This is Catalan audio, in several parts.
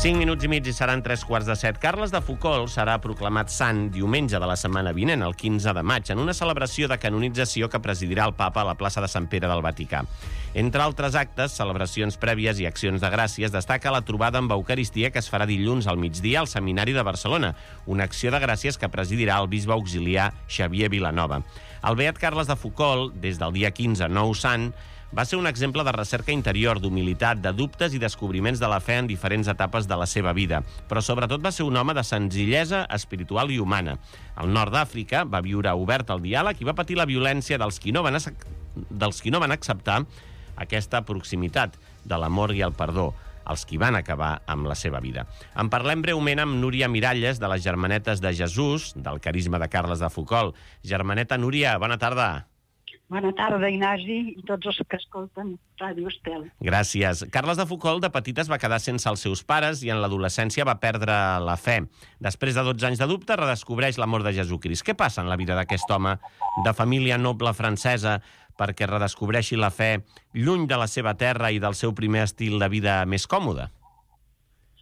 5 minuts i mig i seran 3:15. Carles de Foucauld serà proclamat sant diumenge de la setmana vinent, el 15 de maig, en una celebració de canonització que presidirà el papa a la plaça de Sant Pere del Vaticà. Entre altres actes, celebracions prèvies i accions de gràcies, destaca la trobada amb Eucaristia que es farà dilluns al migdia al Seminari de Barcelona, una acció de gràcies que presidirà el bisbe auxiliar Xavier Vilanova. El beat Carles de Foucauld, des del dia 15, nou sant, va ser un exemple de recerca interior, d'humilitat, de dubtes i descobriments de la fe en diferents etapes de la seva vida. Però sobretot va ser un home de senzillesa espiritual i humana. Al nord d'Àfrica va viure obert al diàleg i va patir la violència dels qui no van acceptar aquesta proximitat de l'amor i el perdó, els qui van acabar amb la seva vida. En parlem breument amb Núria Miralles, de les Germanetes de Jesús, del carisma de Carles de Foucauld. Germaneta Núria, bona tarda. Bona tarda, Ignasi, i tots els que escolten Ràdio Estel. Gràcies. Carles de Foucauld de petit es va quedar sense els seus pares i en l'adolescència va perdre la fe. Després de 12 anys de dubte, redescobreix l'amor de Jesucrist. Què passa en la vida d'aquest home de família noble francesa perquè redescobreixi la fe lluny de la seva terra i del seu primer estil de vida més còmode?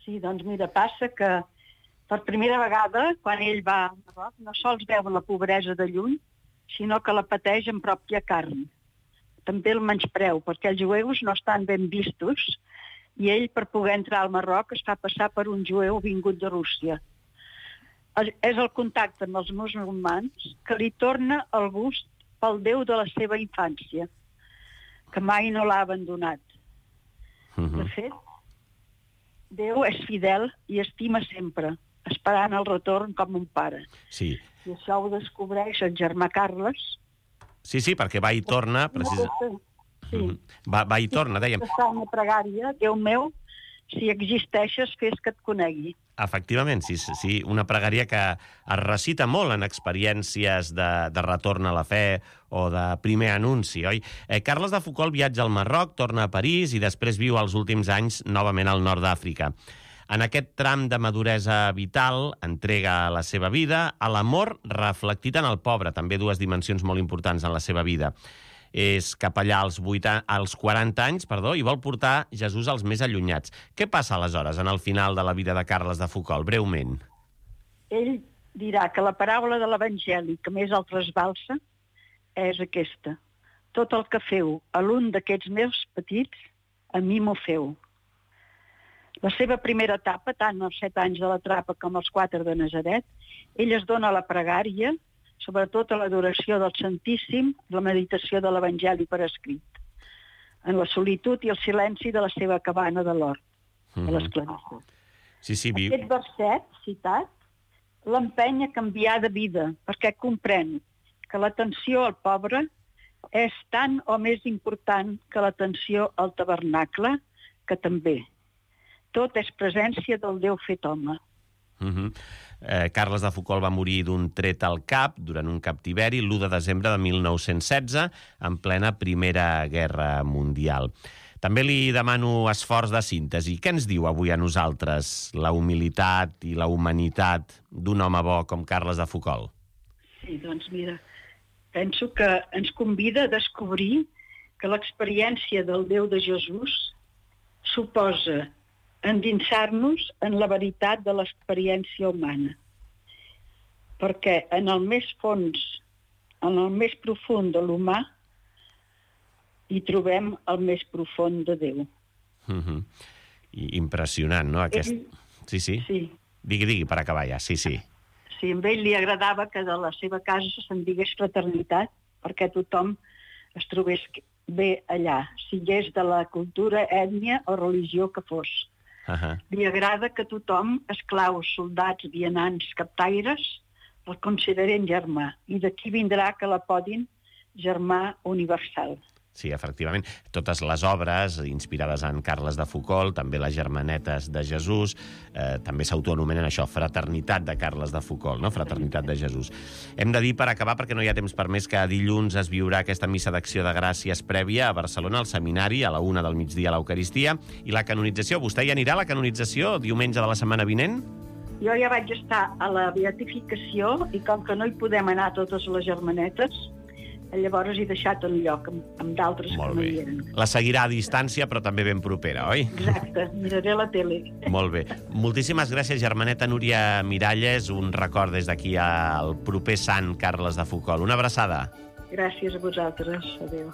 Sí, doncs mira, passa que per primera vegada, quan ell va a Marroc, no sols veu la pobresa de lluny, sinó que la pateix en pròpia carn. També el menyspreu, perquè els jueus no estan ben vistos i ell, per poder entrar al Marroc, es fa passar per un jueu vingut de Rússia. És el contacte amb els musulmans que li torna el gust pel Déu de la seva infància, que mai no l'ha abandonat. De fet, Déu és fidel i estima sempre, esperant el retorn com un pare. Sí. I això ho descobreix el germà Carles. Sí, perquè va i torna... Sí. Va i torna, dèiem. Està una pregària, Déu meu, si existeixes, fes que et conegui. Efectivament, sí, una pregària que es recita molt en experiències de retorn a la fe o de primer anunci, oi? Carles de Foucauld viatja al Marroc, torna a París i després viu els últims anys novament al nord d'Àfrica. En aquest tram de maduresa vital entrega la seva vida a l'amor reflectit en el pobre, també dues dimensions molt importants en la seva vida. És cap allà als 40 anys i vol portar Jesús als més allunyats. Què passa aleshores en el final de la vida de Carles de Foucauld, breument? Ell dirà que la paraula de l'Evangeli que més el trasbalsa és aquesta. Tot el que feu a l'un d'aquests meus petits, a mi m'ho feu. La seva primera etapa, tant els 7 anys de la trapa com els 4 de Nazaret, ell es dona a la pregària, sobretot a l'adoració del Santíssim, la meditació de l'Evangeli per escrit, en la solitud i el silenci de la seva cabana de l'hort, de l'esclavitud. Aquest verset, citat, l'empeny a canviar de vida, perquè comprèn que l'atenció al pobre és tan o més important que l'atenció al tabernacle, que també. Tot és presència del Déu fet home. Carles de Foucauld va morir d'un tret al cap durant un captiveri l'1 de desembre de 1916, en plena Primera Guerra Mundial. També li demano esforç de síntesi. Què ens diu avui a nosaltres la humilitat i la humanitat d'un home bo com Carles de Foucauld? Sí, doncs mira, penso que ens convida a descobrir que l'experiència del Déu de Jesús suposa endinsar-nos en la veritat de l'experiència humana. Perquè en el més fons, en el més profund de l'humà, hi trobem el més profund de Déu. Impressionant, no? Sí. Digui, per acabar ja, sí. Sí, a ell li agradava que de la seva casa se'n digués fraternitat, perquè tothom es trobés bé allà, sigués de la cultura, ètnia o religió que fos. Li agrada que tothom, esclaus, soldats, vianants, captaires, el consideren germà, i d'aquí vindrà que la podin germà universal. Sí, efectivament. Totes les obres inspirades en Carles de Foucauld, també les Germanetes de Jesús, també s'autoanomenen això, Fraternitat de Carles de Foucauld, no? Fraternitat de Jesús. Hem de dir, per acabar, perquè no hi ha temps per més, que dilluns es viurà aquesta missa d'acció de gràcies prèvia a Barcelona, al seminari, a la 1 del migdia a l'Eucaristia, i la canonització. Vostè hi anirà a la canonització diumenge de la setmana vinent? Jo ja vaig estar a la beatificació i com que no hi podem anar totes les germanetes, Llavors he deixat el lloc amb d'altres que Molt no bé. hi eren. La seguirà a distància, però també ben propera, oi? Exacte, miraré la tele. Molt bé. Moltíssimes gràcies, germaneta Núria Miralles. Un record des d'aquí al proper sant Carles de Foucault. Una abraçada. Gràcies a vosaltres. Adéu.